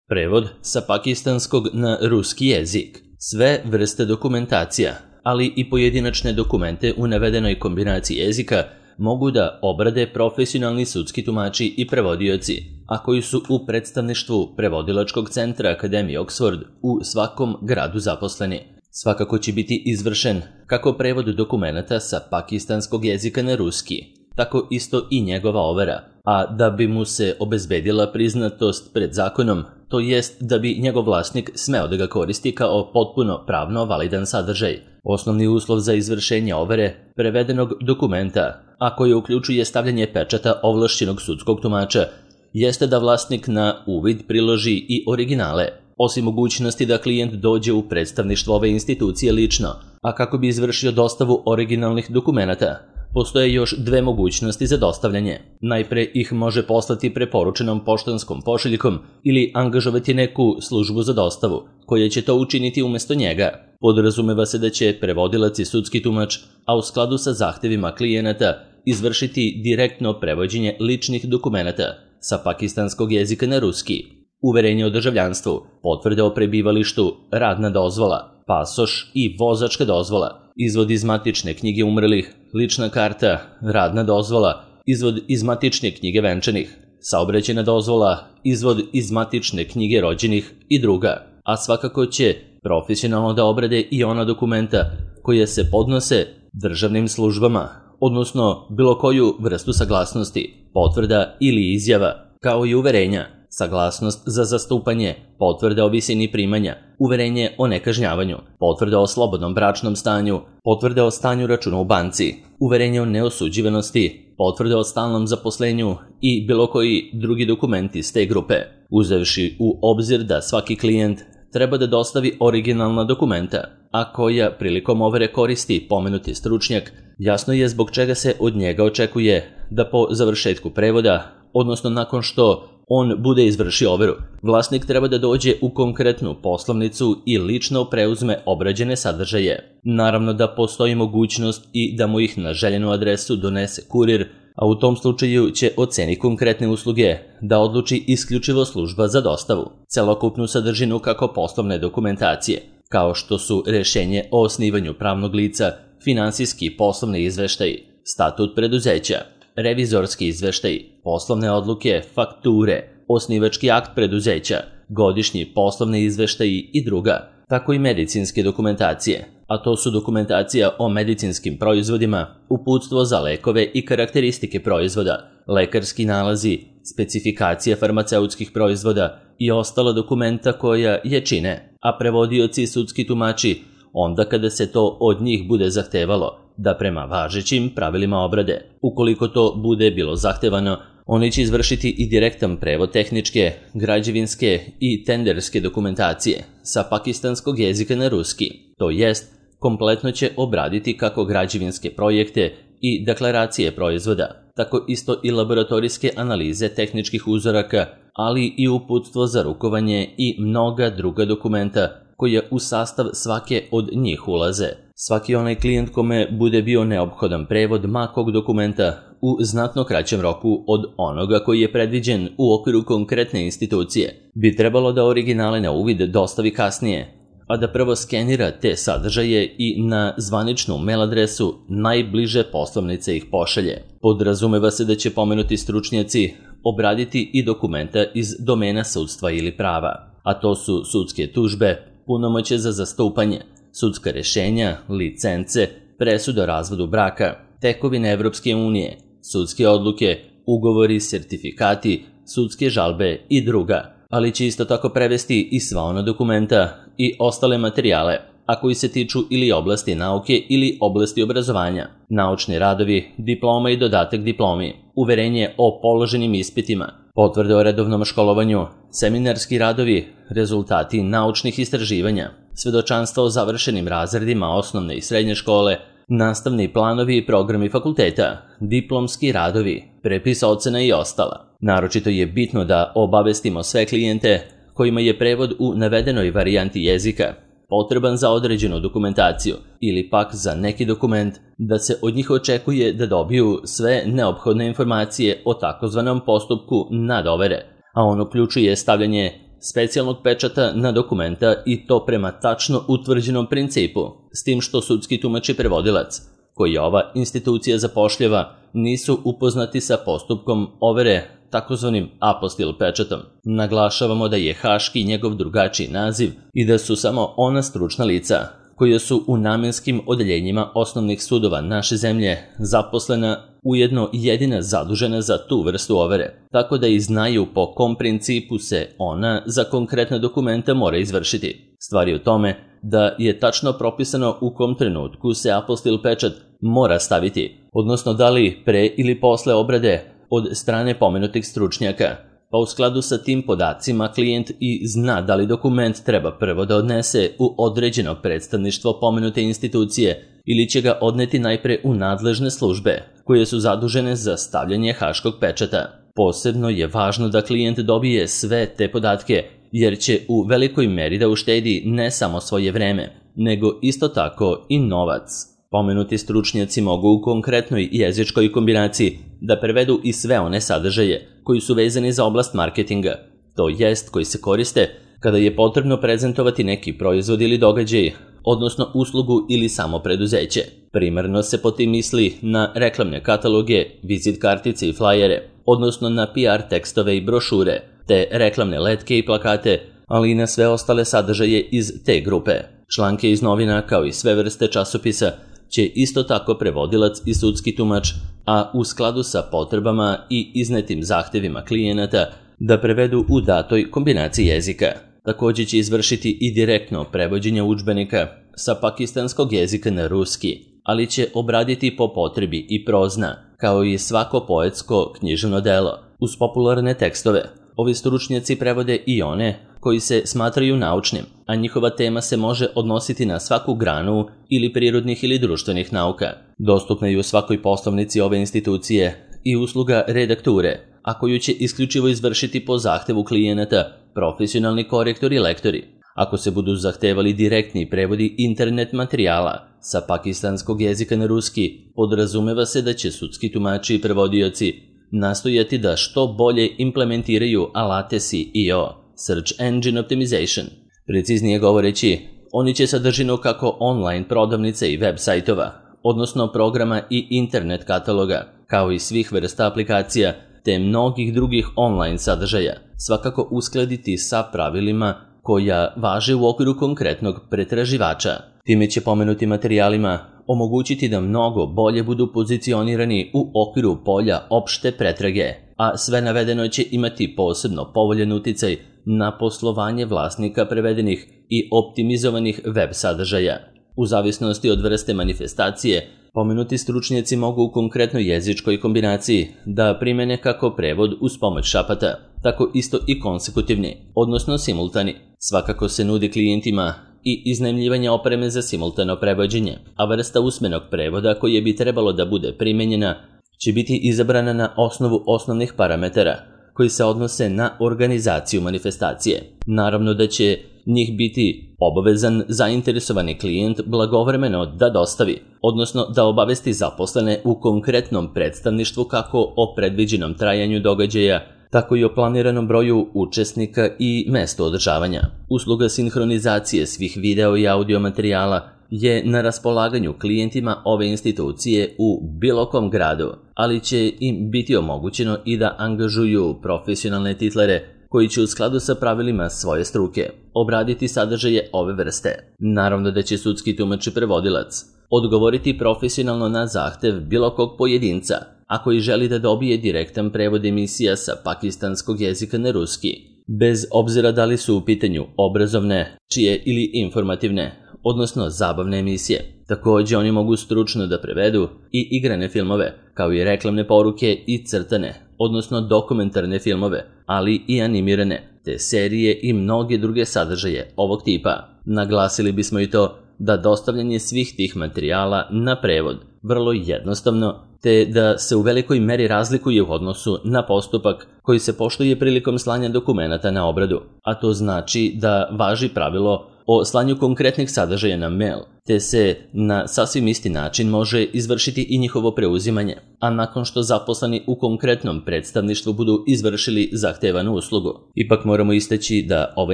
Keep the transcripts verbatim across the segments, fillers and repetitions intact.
Prevod sa pakistanskog na ruski jezik. Sve vrste dokumentacija, ali i pojedinačne dokumente u navedenoj kombinaciji jezika mogu da obrade profesionalni sudski tumači i prevodioci, a koji su u predstavništvu Prevodilačkog centra Akademije Oxford u svakom gradu zaposleni. Svakako će biti izvršen kako prevod dokumenata sa pakistanskog jezika na ruski, tako isto i njegova overa, a da bi mu se obezbedila priznatost pred zakonom, to jest da bi njegov vlasnik smeo da ga koristi kao potpuno pravno validan sadržaj. Osnovni uslov za izvršenje overe prevedenog dokumenta, a koje uključuje stavljanje pečata ovlašćenog sudskog tumača, jeste da vlasnik na uvid priloži i originale, osim mogućnosti da klijent dođe u predstavništvo ove institucije lično, a kako bi izvršio dostavu originalnih dokumenata, postoje još dve mogućnosti za dostavljanje. Najpre ih može poslati preporučenom poštanskom pošiljkom ili angažovati neku službu za dostavu, koja će to učiniti umesto njega. Podrazumeva se da će prevodilac i sudski tumač, a u skladu sa zahtevima klijenata, izvršiti direktno prevođenje ličnih dokumenata sa pakistanskog jezika na ruski. Uverenje o državljanstvu, potvrde o prebivalištu, radna dozvola, pasoš i vozačka dozvola, izvod iz matične knjige umrlih, lična karta, radna dozvola, izvod iz matične knjige venčanih, saobraćajna dozvola, izvod iz matične knjige rođenih i druga, a svakako će profesionalno da obrade i ona dokumenta koje se podnose državnim službama, odnosno bilo koju vrstu saglasnosti, potvrda ili izjava, kao i uverenja, saglasnost za zastupanje, potvrda o visini primanja, uverenje o nekažnjavanju, potvrda o slobodnom bračnom stanju, potvrda o stanju računa u banci, uverenje o neosuđivanosti, potvrda o stalnom zaposlenju i bilo koji drugi dokumenti iz te grupe, uzevši u obzir da svaki klijent treba da dostavi originalna dokumenta, a koja prilikom overe koristi pomenuti stručnjak, jasno je zbog čega se od njega očekuje da po završetku prevoda, odnosno nakon što on bude izvršio overu, vlasnik treba da dođe u konkretnu poslovnicu i lično preuzme obrađene sadržaje. Naravno da postoji mogućnost i da mu ih na željenu adresu donese kurir, a u tom slučaju će o ceni konkretne usluge da odluči isključivo služba za dostavu. Celokupnu sadržinu kako poslovne dokumentacije, kao što su rešenje o osnivanju pravnog lica, finansijski i poslovni izveštaji, statut preduzeća, revizorski izveštaji, poslovne odluke, fakture, osnivački akt preduzeća, godišnji poslovni izveštaji i druga, tako i medicinske dokumentacije, a to su dokumentacija o medicinskim proizvodima, uputstvo za lekove i karakteristike proizvoda, lekarski nalazi, specifikacija farmaceutskih proizvoda i ostala dokumenta koja je čine, a prevodioci i sudski tumači onda kada se to od njih bude zahtevalo, da prema važećim pravilima obrade. Ukoliko to bude bilo zahtevano, oni će izvršiti i direktan prevod tehničke, građevinske i tenderske dokumentacije sa pakistanskog jezika na ruski, to jest, kompletno će obraditi kako građevinske projekte i deklaracije proizvoda, tako isto i laboratorijske analize tehničkih uzoraka, ali i uputstvo za rukovanje i mnoga druga dokumenta koje u sastav svake od njih ulaze. Svaki onaj klijent kome bude bio neophodan prevod makog dokumenta u znatno kraćem roku od onoga koji je predviđen u okviru konkretne institucije, bi trebalo da originale na uvid dostavi kasnije, a da prvo skenira te sadržaje i na zvaničnu mail adresu najbliže poslovnice ih pošalje. Podrazumeva se da će pomenuti stručnjaci obraditi i dokumenta iz domena sudstva ili prava, a to su sudske tužbe, punomoćje za zastupanje, sudska rešenja, licence, presuda o razvodu braka, tekovine Evropske unije, sudske odluke, ugovori, sertifikati, sudske žalbe i druga, ali će isto tako prevesti i sva ona dokumenta i ostale materijale, a koji se tiču ili oblasti nauke ili oblasti obrazovanja, naučni radovi, diploma i dodatak diplomi, uverenje o položenim ispitima, potvrde o redovnom školovanju, seminarski radovi, rezultati naučnih istraživanja, svedočanstva o završenim razredima osnovne i srednje škole, nastavni planovi i programi fakulteta, diplomski radovi, prepis ocena i ostala. Naročito je bitno da obavestimo sve klijente kojima je prevod u navedenoj varijanti jezika potreban za određenu dokumentaciju ili pak za neki dokument, da se od njih očekuje da dobiju sve neophodne informacije o takozvanom postupku nadovere, a on uključuje stavljanje specijalnog pečata na dokumenta i to prema tačno utvrđenom principu, s tim što sudski tumač i prevodilac, koji ova institucija zapošljava, nisu upoznati sa postupkom overe takozvanim apostil pečatom. Naglašavamo da je haški njegov drugačiji naziv i da su samo ona stručna lica koja su u namenskim odeljenjima osnovnih sudova naše zemlje zaposlena ujedno jedina zadužena za tu vrstu overe, tako da i znaju po kom principu se ona za konkretna dokumenta mora izvršiti. Stvar je u tome da je tačno propisano u kom trenutku se apostil pečat mora staviti, odnosno da li pre ili posle obrade od strane pomenutih stručnjaka, pa u skladu sa tim podacima klijent i zna da li dokument treba prvo da odnese u određeno predstavništvo pomenute institucije ili će ga odneti najpre u nadležne službe koje su zadužene za stavljanje haškog pečata. Posebno je važno da klijent dobije sve te podatke, jer će u velikoj meri da uštedi ne samo svoje vreme, nego isto tako i novac. Pomenuti stručnjaci mogu u konkretnoj jezičkoj kombinaciji da prevedu i sve one sadržaje koji su vezani za oblast marketinga, to jest koji se koriste kada je potrebno prezentovati neki proizvod ili događaj, odnosno uslugu ili samo preduzeće. Primarno se po tim misli na reklamne kataloge, vizit kartice i flajere, odnosno na P R tekstove i brošure, te reklamne letke i plakate, ali i na sve ostale sadržaje iz te grupe. Članke iz novina, kao i sve vrste časopisa, će isto tako prevodilac i sudski tumač, a u skladu sa potrebama i iznetim zahtevima klijenata, da prevedu u datoj kombinaciji jezika. Također će izvršiti i direktno prevođenje udžbenika sa pakistanskog jezika na ruski, ali će obraditi po potrebi i prozna, kao i svako poetsko književno delo, uz popularne tekstove. Ovi stručnjaci prevode i one koji se smatraju naučnim, a njihova tema se može odnositi na svaku granu ili prirodnih ili društvenih nauka. Dostupna je u svakoj poslovnici ove institucije i usluga redakture, a koju će isključivo izvršiti po zahtevu klijenata profesionalni korektori i lektori. Ako se budu zahtevali direktni prevodi internet materijala sa pakistanskog jezika na ruski, podrazumeva se da će sudski tumači i prevodioci nastojati da što bolje implementiraju alate S E O, Search Engine Optimization. Preciznije govoreći, oni će sadržinu kako online prodavnice i web sajtova, odnosno programa i internet kataloga, kao i svih vrsta aplikacija, te mnogih drugih online sadržaja, svakako uskladiti sa pravilima koja važe u okviru konkretnog pretraživača. Time će pomenuti materijalima omogućiti da mnogo bolje budu pozicionirani u okviru polja opšte pretrage, a sve navedeno će imati posebno povoljan uticaj na poslovanje vlasnika prevedenih i optimizovanih web sadržaja. U zavisnosti od vrste manifestacije, pomenuti stručnjaci mogu u konkretnoj jezičkoj kombinaciji da primene kako prevod uz pomoć šapata, tako isto i konsekutivni, odnosno simultani. Svakako se nudi klijentima i iznajmljivanje opreme za simultano prevođenje, a vrsta usmenog prevoda koje bi trebalo da bude primenjena će biti izabrana na osnovu osnovnih parametara koji se odnose na organizaciju manifestacije. Naravno da će njih biti obavezan zainteresovani klijent blagovremeno da dostavi, odnosno da obavesti zaposlene u konkretnom predstavništvu kako o predviđenom trajanju događaja, tako i o planiranom broju učesnika i mestu održavanja. Usluga sinhronizacije svih video i audio materijala je na raspolaganju klijentima ove institucije u bilo kom gradu, ali će im biti omogućeno i da angažuju profesionalne titlere koji će u skladu sa pravilima svoje struke obraditi sadržaje ove vrste. Naravno da će sudski tumač i prevodilac odgovoriti profesionalno na zahtev bilo kog pojedinca, a koji želi da dobije direktan prevod emisija sa pakistanskog jezika na ruski, bez obzira da li su u pitanju obrazovne, čije ili informativne, odnosno zabavne emisije. Također oni mogu stručno da prevedu i igrane filmove, kao i reklamne poruke i crtane, odnosno dokumentarne filmove, ali i animirane, te serije i mnoge druge sadržaje ovog tipa. Naglasili bismo i to da dostavljanje svih tih materijala na prevod vrlo jednostavno, te da se u velikoj meri razlikuje u odnosu na postupak koji se poštuje prilikom slanja dokumenata na obradu, a to znači da važi pravilo o slanju konkretnih sadržaja na mail, te se na sasvim isti način može izvršiti i njihovo preuzimanje, a nakon što zaposleni u konkretnom predstavništvu budu izvršili zahtevanu uslugu. Ipak moramo istaći da ova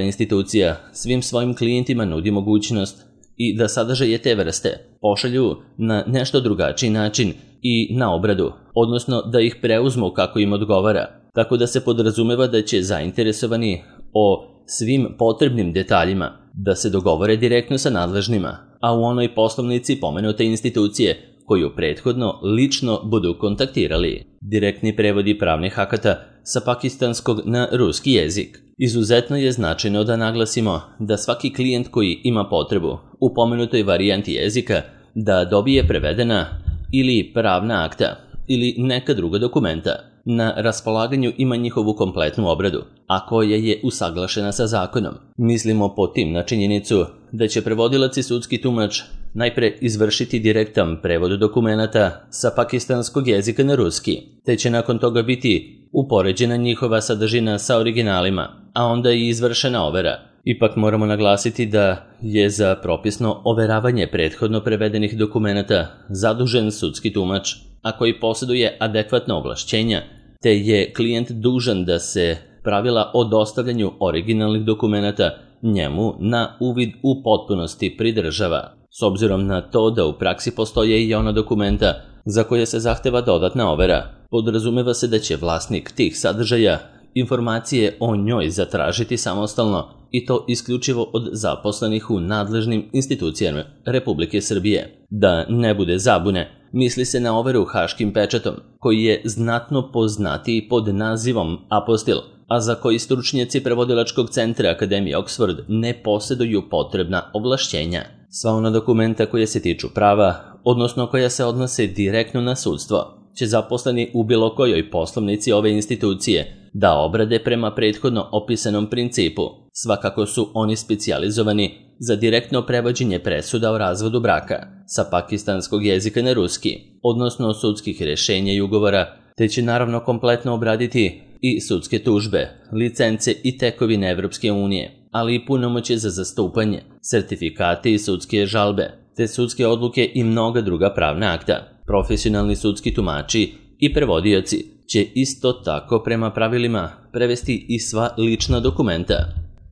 institucija svim svojim klijentima nudi mogućnost i da sadržaje te vrste pošalju na nešto drugačiji način i na obradu, odnosno da ih preuzmu kako im odgovara, tako da se podrazumeva da će zainteresovani o svim potrebnim detaljima da se dogovore direktno sa nadležnima, a u onoj poslovnici pomenute institucije koju prethodno lično budu kontaktirali. Direktni prevodi pravnih akata sa pakistanskog na ruski jezik. Izuzetno je značajno da naglasimo da svaki klijent koji ima potrebu u pomenutoj varijanti jezika da dobije prevedena ili pravna akta ili neka druga dokumenta, na raspolaganju ima njihovu kompletnu obradu, a koja je usaglašena sa zakonom. Mislimo po tim na činjenicu da će prevodilac i sudski tumač najpre izvršiti direktan prevod dokumenata sa pakistanskog jezika na ruski, te će nakon toga biti upoređena njihova sadržina sa originalima, a onda i izvršena overa. Ipak moramo naglasiti da je za propisno overavanje prethodno prevedenih dokumenata zadužen sudski tumač, a koji posjeduje adekvatna ovlašćenja, te je klijent dužan da se pravila o dostavljanju originalnih dokumenata njemu na uvid u potpunosti pridržava, s obzirom na to da u praksi postoje i ona dokumenta za koje se zahteva dodatna overa. Podrazumeva se da će vlasnik tih sadržaja informacije o njoj zatražiti samostalno i to isključivo od zaposlenih u nadležnim institucijama Republike Srbije. Da ne bude zabune, misli se na overu haškim pečatom, koji je znatno poznatiji pod nazivom apostil, a za koji stručnjaci prevodilačkog centra Akademije Oxford ne posjeduju potrebna ovlašćenja. Sva ona dokumenta koje se tiču prava, odnosno koja se odnose direktno na sudstvo, će zaposleni u bilo kojoj poslovnici ove institucije da obrade prema prethodno opisanom principu. Svakako su oni specijalizovani za direktno prevođenje presuda o razvodu braka sa pakistanskog jezika na ruski, odnosno sudskih rješenja i ugovora, te će naravno kompletno obraditi i sudske tužbe, licence i tekovine Evropske unije, ali i punomoćje za zastupanje, sertifikate i sudske žalbe, te sudske odluke i mnoga druga pravna akta. Profesionalni sudski tumači i prevodioci će isto tako prema pravilima prevesti i sva lična dokumenta.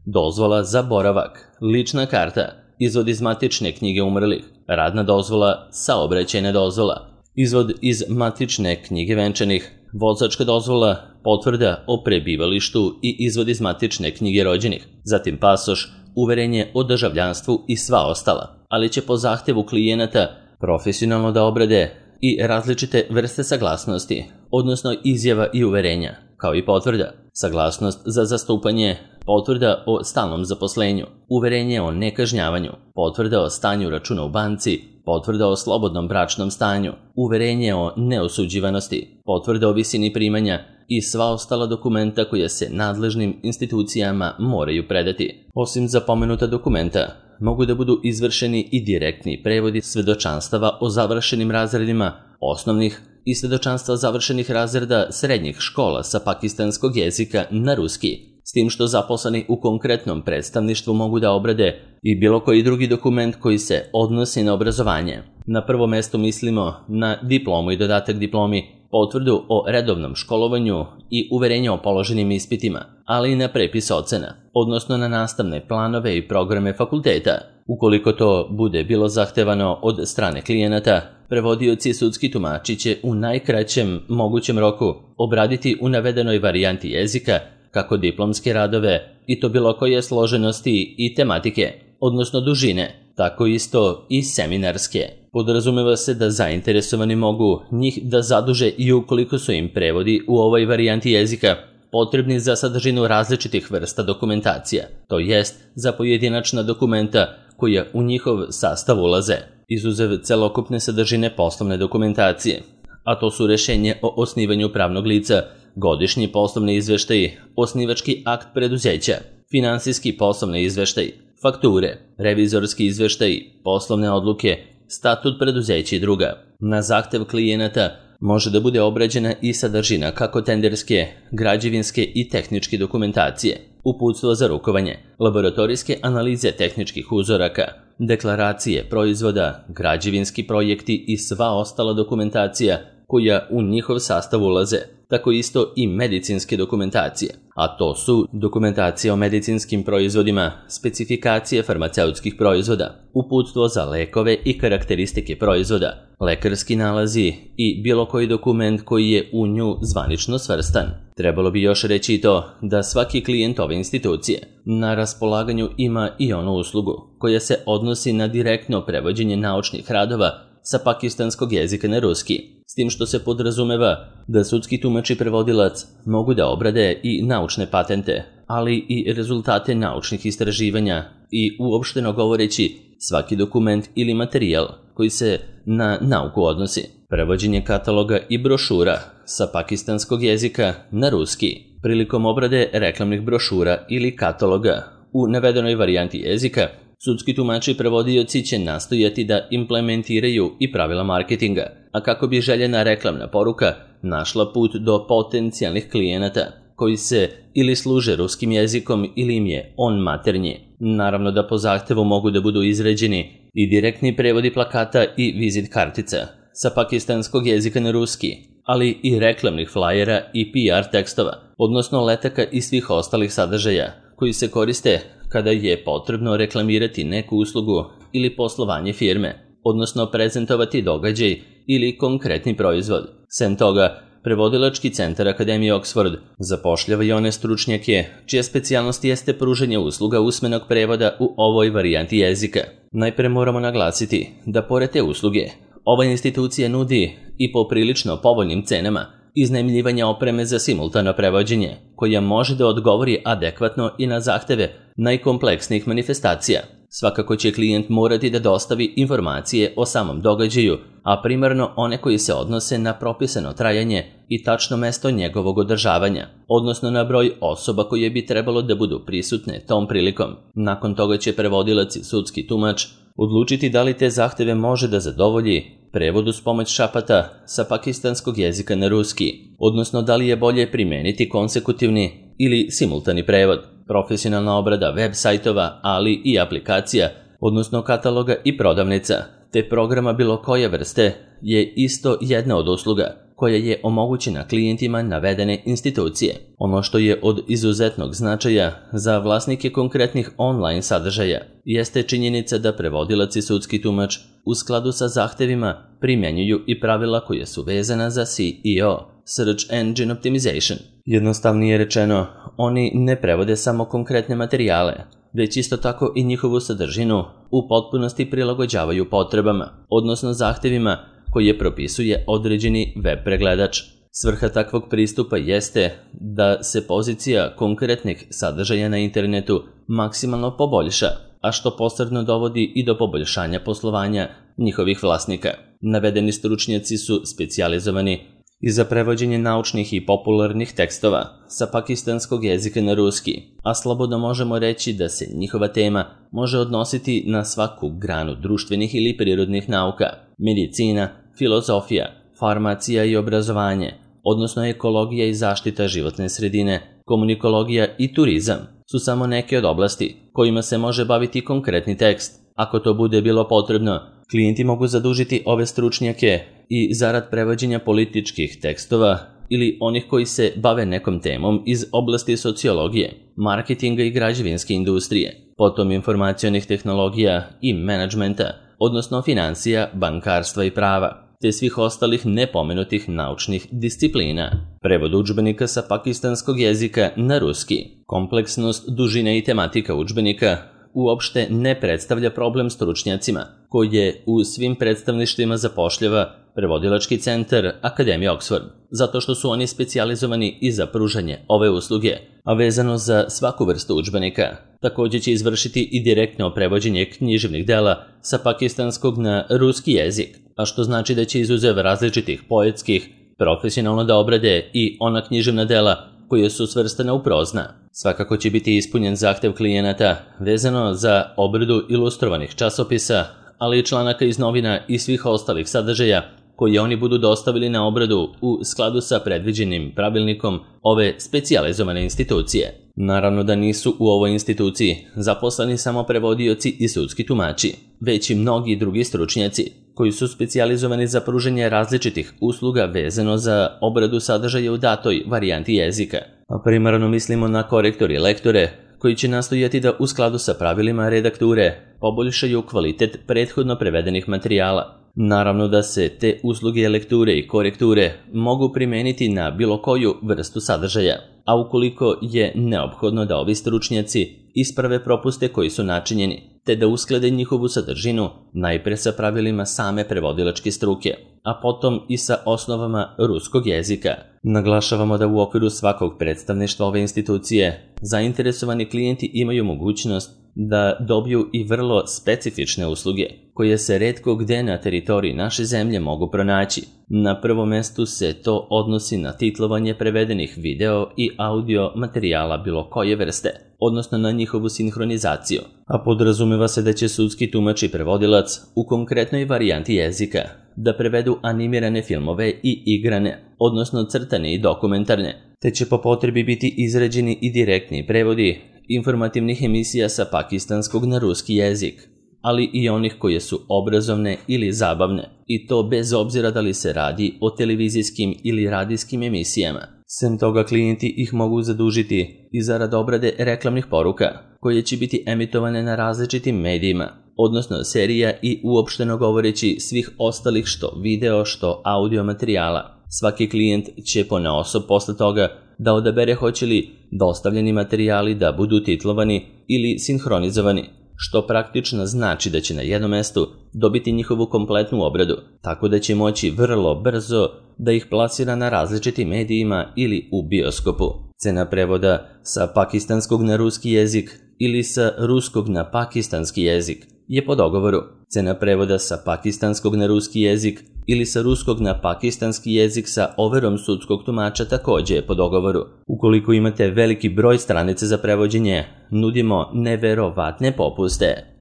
Dozvola za boravak, lična karta, izvod iz matične knjige umrlih, radna dozvola, saobraćajna dozvola, izvod iz matične knjige venčanih, vozačka dozvola, potvrda o prebivalištu i izvod iz matične knjige rođenih, zatim pasoš, uverenje o državljanstvu i sva ostala, ali će po zahtevu klijenata profesionalno da obrade i različite vrste saglasnosti, odnosno izjava i uverenja, kao i potvrda, saglasnost za zastupanje, potvrda o stalnom zaposlenju, uverenje o nekažnjavanju, potvrda o stanju računa u banci, potvrda o slobodnom bračnom stanju, uverenje o neosuđivanosti, potvrda o visini primanja i sva ostala dokumenta koje se nadležnim institucijama moraju predati. Osim za pomenuta dokumenta, mogu da budu izvršeni i direktni prevodi svedočanstava o završenim razredima osnovnih i svedočanstva završenih razreda srednjih škola sa pakistanskog jezika na ruski, s tim što zaposleni u konkretnom predstavništvu mogu da obrade i bilo koji drugi dokument koji se odnosi na obrazovanje. Na prvo mesto mislimo na diplomu i dodatak diplomi, potvrdu o redovnom školovanju i uverenje o položenim ispitima, ali i na prepis ocena, odnosno na nastavne planove i programe fakulteta. Ukoliko to bude bilo zahtevano od strane klijenata, prevodioci i sudski tumači će u najkraćem mogućem roku obraditi u navedenoj varijanti jezika kako diplomske radove i to bilo koje složenosti i tematike, odnosno dužine, tako isto i seminarske. Podrazumeva se da zainteresovani mogu njih da zaduže i ukoliko su im prevodi u ovoj varijanti jezika potrebni za sadržinu različitih vrsta dokumentacija, to jest za pojedinačna dokumenta koja u njihov sastav ulaze, izuzev celokupne sadržine poslovne dokumentacije, a to su rješenje o osnivanju pravnog lica, godišnji poslovni izveštaji, osnivački akt preduzeća, finansijski poslovni izveštaj, fakture, revizorski izveštaji, poslovne odluke, statut preduzeća i druga. Na zahtev klijenata može da bude obrađena i sadržina kako tenderske, građevinske i tehničke dokumentacije. uputstvo za rukovanje, laboratorijske analize tehničkih uzoraka, deklaracije proizvoda, građevinski projekti i sva ostala dokumentacija koja u njihov sastav ulaze, tako isto i medicinske dokumentacije, a to su dokumentacija o medicinskim proizvodima, specifikacije farmaceutskih proizvoda, uputstvo za lekove i karakteristike proizvoda, lekarski nalazi i bilo koji dokument koji je u nju zvanično svrstan. Trebalo bi još reći i to da svaki klijent ove institucije na raspolaganju ima i onu uslugu koja se odnosi na direktno prevođenje naučnih radova sa pakistanskog jezika na ruski, s tim što se podrazumeva da sudski tumač i prevodilac mogu da obrade i naučne patente, ali i rezultate naučnih istraživanja i uopšteno govoreći svaki dokument ili materijal koji se na nauku odnosi. Prevođenje kataloga i brošura sa pakistanskog jezika na ruski prilikom obrade reklamnih brošura ili kataloga u navedenoj varijanti jezika, sudski tumači i prevodioci će nastojati da implementiraju i pravila marketinga, a kako bi željena reklamna poruka našla put do potencijalnih klijenata koji se ili služe ruskim jezikom ili im je on maternji. Naravno da po zahtevu mogu da budu izrađeni i direktni prevodi plakata i vizit kartica sa pakistanskog jezika na ruski, ali i reklamnih flajera i P R tekstova, odnosno letaka i svih ostalih sadržaja koji se koriste kada je potrebno reklamirati neku uslugu ili poslovanje firme, odnosno prezentovati događaj ili konkretni proizvod. Sem toga, Prevodilački centar Akademije Oxford zapošljava i one stručnjake čija specijalnost jeste pružanje usluga usmenog prevoda u ovoj varijanti jezika. Najpre moramo naglasiti da pored te usluge, ova institucija nudi i po prilično povoljnim cenama iznajmljivanje opreme za simultano prevođenje, koja može da odgovori adekvatno i na zahteve najkompleksnijih manifestacija. Svakako će klijent morati da dostavi informacije o samom događaju, a primarno one koji se odnose na propisano trajanje i tačno mesto njegovog održavanja, odnosno na broj osoba koje bi trebalo da budu prisutne tom prilikom. Nakon toga će prevodilac i sudski tumač odlučiti da li te zahteve može da zadovolji prevod uz pomoć šapata sa pakistanskog jezika na ruski, odnosno da li je bolje primeniti konsekutivni ili simultani prevod. Profesionalna obrada web sajtova, ali i aplikacija, odnosno kataloga i prodavnica, te programa bilo koje vrste, je isto jedna od usluga koja je omogućena klijentima navedene institucije. Ono što je od izuzetnog značaja za vlasnike konkretnih online sadržaja jeste činjenica da prevodilac i sudski tumač u skladu sa zahtevima primjenjuju i pravila koje su vezana za S E O, Search Engine Optimization. Jednostavnije rečeno, oni ne prevode samo konkretne materijale, već isto tako i njihovu sadržinu u potpunosti prilagođavaju potrebama, odnosno zahtevima koje propisuje određeni web pregledač. Svrha takvog pristupa jeste da se pozicija konkretnih sadržaja na internetu maksimalno poboljša, a što posredno dovodi i do poboljšanja poslovanja njihovih vlasnika. Navedeni stručnjaci su specijalizovani i za prevođenje naučnih i popularnih tekstova sa pakistanskog jezika na ruski, a slobodno možemo reći da se njihova tema može odnositi na svaku granu društvenih ili prirodnih nauka, medicina, filozofija, farmacija i obrazovanje, odnosno ekologija i zaštita životne sredine, komunikologija i turizam su samo neke od oblasti kojima se može baviti konkretni tekst. Ako to bude bilo potrebno, klijenti mogu zadužiti ove stručnjake i zarad prevođenja političkih tekstova ili onih koji se bave nekom temom iz oblasti sociologije, marketinga i građevinske industrije, potom informacionih tehnologija i menadžmenta, odnosno financija, bankarstva i prava, te svih ostalih nepomenutih naučnih disciplina. Prevod udžbenika sa pakistanskog jezika na ruski. Kompleksnost, dužina i tematika udžbenika uopšte ne predstavlja problem stručnjacima, koje u svim predstavništvima zapošljava Prevodilački centar Akademije Oxford, zato što su oni specijalizovani i za pružanje ove usluge, a vezano za svaku vrstu udžbenika. Također će izvršiti i direktno prevođenje književnih dela sa pakistanskog na ruski jezik, a što znači da će izuzev različitih poetskih profesionalno da obrade i ona književna dela koje su svrstane u prozna. Svakako će biti ispunjen zahtev klijenata vezano za obradu ilustrovanih časopisa, ali i članaka iz novina i svih ostalih sadržaja koje oni budu dostavili na obradu u skladu sa predviđenim pravilnikom ove specijalizovane institucije. Naravno da nisu u ovoj instituciji zaposleni samo prevodioci i sudski tumači, već i mnogi drugi stručnjaci koji su specijalizovani za pružanje različitih usluga vezano za obradu sadržaja u datoj varijanti jezika. A primarno mislimo na korektore i lektore koji će nastojati da u skladu sa pravilima redakture poboljšaju kvalitet prethodno prevedenih materijala. Naravno da se te usluge lekture i korekture mogu primeniti na bilo koju vrstu sadržaja, a ukoliko je neophodno da ovi stručnjaci isprave propuste koji su načinjeni, te da usklade njihovu sadržinu najpre sa pravilima same prevodilačke struke, a potom i sa osnovama ruskog jezika. Naglašavamo da u okviru svakog predstavništva ove institucije zainteresovani klijenti imaju mogućnost da dobiju i vrlo specifične usluge, koje se retko gde na teritoriji naše zemlje mogu pronaći. Na prvom mestu se to odnosi na titlovanje prevedenih video i audio materijala bilo koje vrste, odnosno na njihovu sinhronizaciju, a podrazumeva se da će sudski tumač i prevodilac u konkretnoj varijanti jezika da prevedu animirane filmove i igrane, odnosno crtane i dokumentarne, te će po potrebi biti izrađeni i direktni prevodi informativnih emisija sa pakistanskog na ruski jezik, ali i onih koje su obrazovne ili zabavne, i to bez obzira da li se radi o televizijskim ili radijskim emisijama. Sem toga, klijenti ih mogu zadužiti i zarad obrade reklamnih poruka, koje će biti emitovane na različitim medijima, odnosno serija i uopšteno govoreći svih ostalih što video, što audio materijala. Svaki klijent će ponaosob posle toga da odabere hoće li dostavljeni materijali da budu titlovani ili sinhronizovani, što praktično znači da će na jednom mestu dobiti njihovu kompletnu obradu, tako da će moći vrlo brzo da ih plasira na različitim medijima ili u bioskopu. Cena prevoda sa pakistanskog na ruski jezik ili sa ruskog na pakistanski jezik je po dogovoru. Cena prevoda sa pakistanskog na ruski jezik ili sa ruskog na pakistanski jezik sa overom sudskog tumača takođe je po dogovoru. Ukoliko imate veliki broj stranica za prevođenje, nudimo neverovatne popuste.